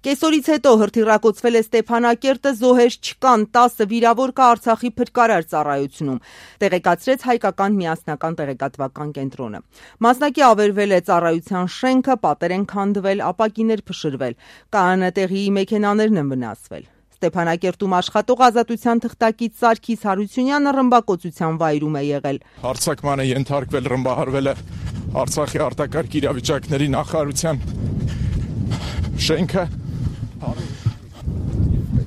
Կեսօրից հետո հրթիռակոծվել է Ստեփանակերտը, զոհեր չկան, 10 վիրավոր կա Արցախի փրկարար ծառայությունում, տեղեկացրեց հայկական միասնական տեղեկատվական կենտրոնը։ Մասնակի ավերվել է ծառայության շենքը, պատեր են քանդվել, ապակիներ փշրվել, ԿԱՀՆ-տեղի մեքենաներն են վնասվել։ Ստեփանակերտում աշխատող Ազատության թղթակից Սարգիս Հարությունյանը ռմբակոծության վայրում է եղել։ Հարձակման է ենթարկվել, ռմբահարվել է Արցախի արտակարգ իրավիճակների նախարարության շենքը։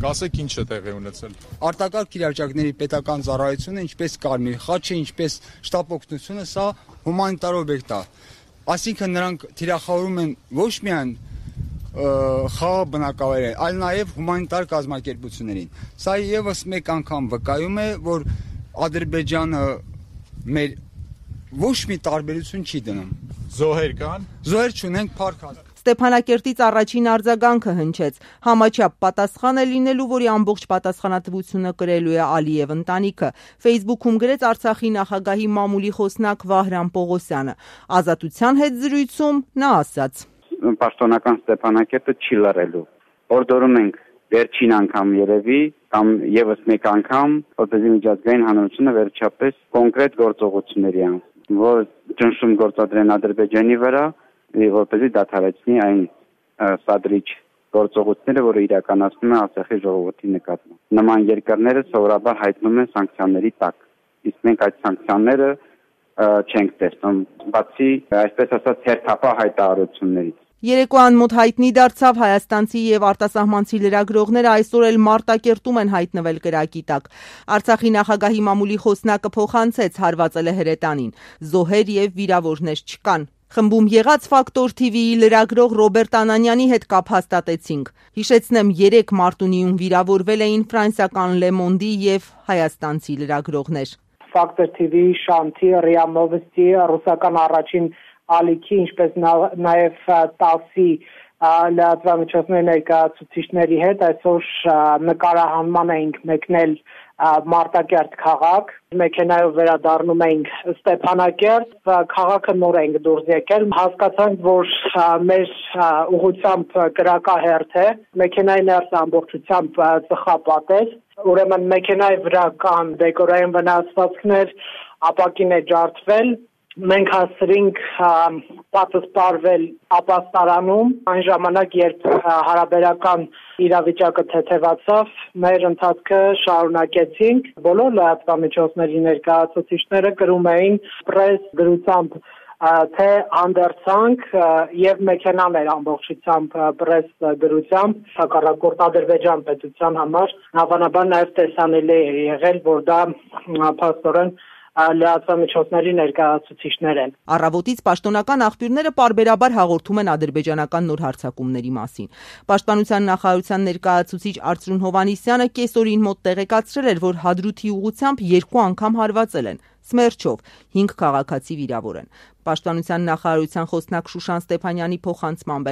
Գասեք ինչ է տեղի ունեցել։ Արտակարգ իրավիճակների պետական ծառայությունը, ինչպես Կարմիր խաչը, ինչպես շտապ օգնությունը, սա հումանիտար օբյեկտ է։ Այսինքն նրանք թիրախավորում են ոչ միայն խաղաղ բնակավայրեր, այլ նաև հումանիտար կազմակերպություններին։ Սա եւս մեկ անգամ վկայում է, որ Ադրբեջանը մեր ոչ մի տարբերություն չի դնում։ Զոհեր կան։ Զոհեր չունենք, փառք Աստծո։ Ստեփանակերտից առաջին արձագանքը հնչեց։ Համաչափ պատասխան է լինելու, որի ամբողջ պատասխանատվությունը կրելու է Ալիև ընտանիքը։ Facebook-ում գրեց Արցախի նախագահի մամուլի խոսնակ Վահրամ Պողոսյանը։ Ազատության հետ զրույցում նա ասաց. Պաշտոնական Ստեփանակերտը չի լռելու։ Օրդորում ենք վերջին անգամ երևի կամ եւս մեկ անգամ, որպեսզի միջազգային հանրությունը վերջապես կոնկրետ գործողությունների անցնի, որ ճնշում գործադրեն Ադրբեջանի վրա, որպեսզի դադարեցնի այն սադրիչ գործողությունները, որը իրականացնում է Արցախի ժողովրդի նկատմամբ։ Նման երկրները սովորաբար հայտնում են սանկցիաների տակ, իսկ մենք այդ սանկցիաները չենք տեսնում, բացի այսպես ասած հերթապահ հայտարարություններից։ Երեկոյան մոտ հայտնի դարձավ հայաստանցի եւ արտասահմանցի լրագրողները այսօր էլ Մարտակերտում են հայտնվել կրակի տակ։ Արցախի նախագահի մամուլի խոսնակը փոխանցեց հարվածել է հրետանին։ Զոհեր եւ վիրավորներ չկան։ Խմբում եղած Ֆակտոր TV-ի լրագրող Ռոբերտ Անանյանի հետ կապ հաստատեցինք։ Հիշեցնեմ, 3 մարտունիում վիրավորվել էին ֆրանսիական Le Monde-ի եւ հայաստանցի լրագրողներ։ Ֆակտոր TV-ի Շանթի, ՌԻԱ Նովոստի, ռուսական առաջին ալիքի, ինչպես նաև 10-ի լրատվամիջոցների ներկայացուցիչների հետ այսօր նկարահանման էինք մեկնել Մարտակերտ քաղաք, մեքենայով վերադառնում էինք Ստեփանակերտ, քաղաքը նոր ենք դուրս եկել, հասկացանք, որ մեր ուղղությամբ կրակահերթ է, մեքենայի ներս ամբողջությամբ ծխապատ էր, ուրեմն մեքենայի վրա կան դեկորային վնասվածքներ, ապակին է ջարդվել, մենք հասցրինք պատը սպառվել ապաստարանում, այն ժամանակ, երբ հարաբերական իրավիճակը թեթևացավ, մեր ընթացքը շարունակեցինք, բոլոր լրատվամիջոցների ներկայացուցիչները կրում էին պրես գրությամբ, թե հանդերձանք եւ մեքենաներ ամբողջությամբ պրես գրությամբ, հակառակորդ Ադրբեջան պետության համար, հավանաբար նաեւ տեսանելի է եղել, որ դա փաստորեն լրատվամիջոցների ներկայացուցիչներ են։ Առավոտից պաշտոնական աղբյուրները պարբերաբար հաղորդում են ադրբեջանական նոր հարձակումների մասին։ Պաշտպանության նախարարության ներկայացուցիչ Արծրուն Հովհաննիսյանը կեսօրին մոտ տեղեկացրել էր, որ Հադրութի ուղղությամբ 2 անգամ հարվածել են։ Սմերչով 5 քաղաքացի վիրավոր են։ Պաշտպանության նախարարության խոսնակ Շուշան Ստեփանյանի փոխանցմամբ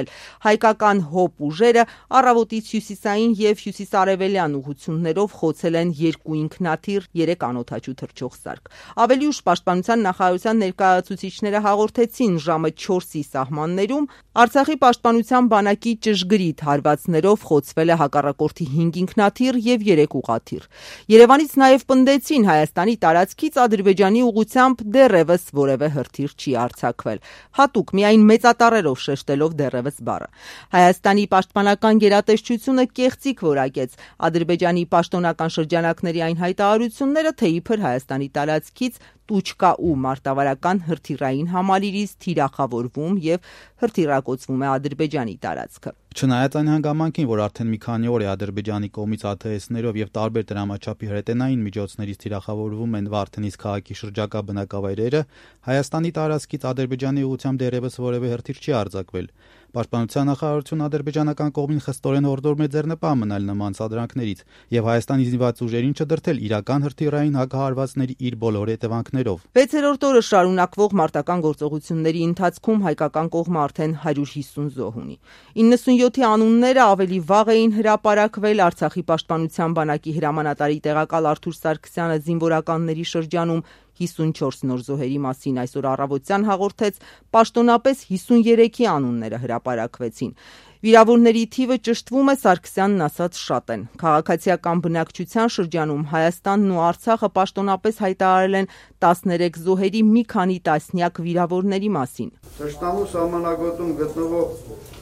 հայկական ՀՕՊ ուժերը առավոտից հյուսիսային եւ հյուսիսարևելյան ուղղություններով խոցել են 2 ինքնաթիռ, 3 անօդաչու թռչող սարք։ Ավելի ուշ պաշտպանության նախարարության ներկայացուցիչները հաղորդեցին ժամը 4-ի սահմաններում Արցախի պաշտպանության բանակի ճշգրիտ հարվածներով խոցվել է հակառակորդի 5 ինքնաթիռ եւ 3 ուղղաթիռ։ Երևանից նաեւ պնդեցին Հայաստանի տարածքից Ադրբեջանի ուղղությամբ դեռևս որևէ հրթիռ չի արձակվել, հատուկ միայն մեծատառերով շեշտելով դեռևս բառը։ Հայաստանի պաշտպանական գերատեսչությունը կեղծիք որակեց Ադրբեջանի պաշտոնական շրջանակների այն հայտարարությունները, թե իբր Հայաստանի տարածքից Տուչկա ու մարտավարական հրթիռային համալիրից թիրախավորվում եւ հրթիռակոծվում է Ադրբեջանի տարածքը։ Չնայած այն հանգամանքին, որ արդեն մի քանի օր է Ադրբեջանի կողմից ԱԹՍ-ներով եւ տարբեր դրամաչափի հրետանային միջոցներից թիրախավորվում են Վարդենիս քաղաքի շրջակա բնակավայրերը, Հայաստանի տարածքից Ադրբեջանի ուղղությամբ դեռևս որևէ հրթիռ չի արձակվել։ Պաշտպանության նախարարությունը ադրբեջանական կողմին խստորեն հորդորում է ձեռնպահ մնալ նման սադրանքներից եւ Հայաստանի զինված ուժերին չդրդել իրական հրթիռային հակահարվածների իր բոլոր հետևանքներով։ 6-րդ օրը շարունակվող մարտական գործողությունների ընթացքում հայկական կողմը արդեն 150 զոհ ունի։ 97-ի անունները ավելի վաղ էին հրապարակվել Արցախի պաշտպանության բանակի հրամանատարի տեղակալ Արթուր Սարգսյանը զինվորականների շրջանում 54 նոր զոհերի մասին այսօր առավոտյան հաղորդեց, պաշտոնապես 53-ի անունները հրապարակվեցին։ Վիրավորների թիվը ճշտվում է, Սարգսյանն ասաց շատ են։ Քաղաքացիական բնակչության շրջանում Հայաստանն ու Արցախը պաշտոնապես հայտարարել են 13 զոհերի մի քանի տասնյակ վիրավորների մասին։ Թշնամու սահմանագոտում գտնվող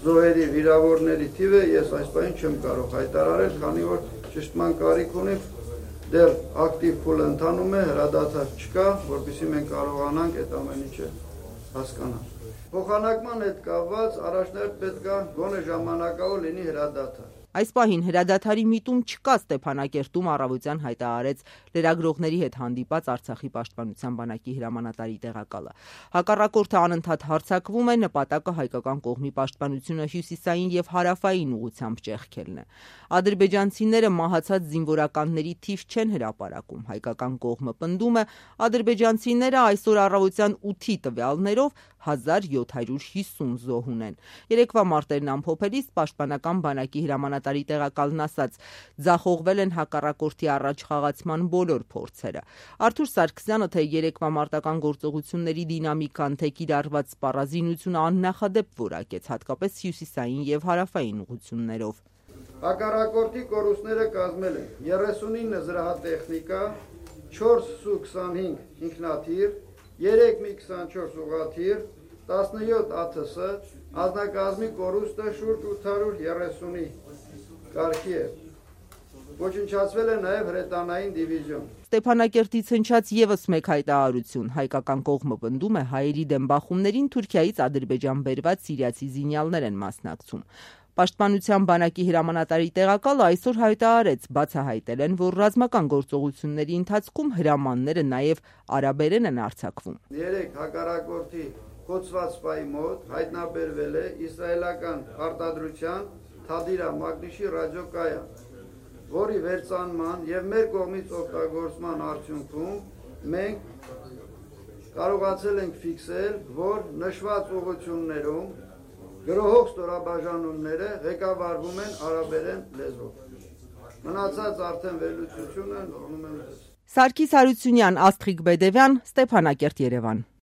զոհերի վիրավորների թիվը ես այս պահին չեմ կարող հայտարարել, քանի որ ճշտման կարիք ունի, դեռ ակտիվ փուլը ընթանում է, հրադադար չկա, որպեսզի մենք կարողանանք այդ ամեն ինչը հասկանալ։ Փոխանակման հետ կապված առաջնահերթ պետք է գոնե ժամանակավոր լինի հրադադար։ Այս պահին հրադադարի միտում չկա, Ստեփանակերտում առավոտյան հայտարարեց լրագրողների հետ հանդիպած Արցախի պաշտպանության բանակի հրամանատարի տեղակալը։ Հակառակորդը անընդհատ հարձակվում է, նպատակը հայկական կողմի պաշտպանությունը հյուսիսային եւ հարավային ուղղությամբ ճեղքելն է։ Ադրբեջանցիները մահացած զինվորականների թիվ չեն հրապարակում։ Հայկական կողմը պնդում է, ադրբեջանցիները այսօր առավոտյան 8-ի տվյալներով 1750 զոհ ունեն։ Երեկվա մարտերն ամփոփելիս պաշտպանական բանակի հրամանատարի տեղակալն ասաց, ձախողվել են հակառակորդի առաջխաղացման բոլոր փորձերը։ Արթուր Սարգսյանը թե երեկվա մարտական գործողությունների դինամիկան, թե կիրառված սպառազինությունը աննախադեպ որակեց, հատկապես հյուսիսային եւ հարավային ուղղություններով։ Հակառակորդի կորուստները կազմել են 39 զրահատեխնիկա, 4 Su-25 ինքնաթիռ, 3 Mi-24 ուղղաթիռ, 17 ԱԹՍ, ազնագազմի կորուստը շուրջ 830-ի կարգի է։ Ոչնչացվել է նաև հրետանային դիվիզիոն։ Ստեփանակերտից հնչած եւս մեկ հայտարարություն։ Հայկական կողմը պնդում է, հայերի դեմ բախումներին Թուրքիայից Ադրբեջան բերված սիրիացի զինյալներ են մասնակցում։ Պաշտպանության բանակի հրամանատարի տեղակալը այսօր հայտարարեց, բացահայտել են, որ ռազմական գործողությունների ընթացքում հրամանները նաև արաբերեն են արձակվում։ Երեք հակառակորդի կոծված սպայի մոտ հայտնաբերվել է իսրայելական արտադրության Թադիրա Մագնիշի ռադիոկայան, որի վերծանման եւ մեր կողմից օգտագործման արդյունքում մենք կարողացել ենք ֆիքսել, որ նշված ուղղություններում գրոհող ստորաբաժանումները ղեկավարվում են արաբերեն լեզվով։ Մնացած արդեն վերլուծությունը նորմալ է։ Սարգիս Հարությունյան, Աստղիկ Բեդևյան, Ստեփանակերտ, Երևան։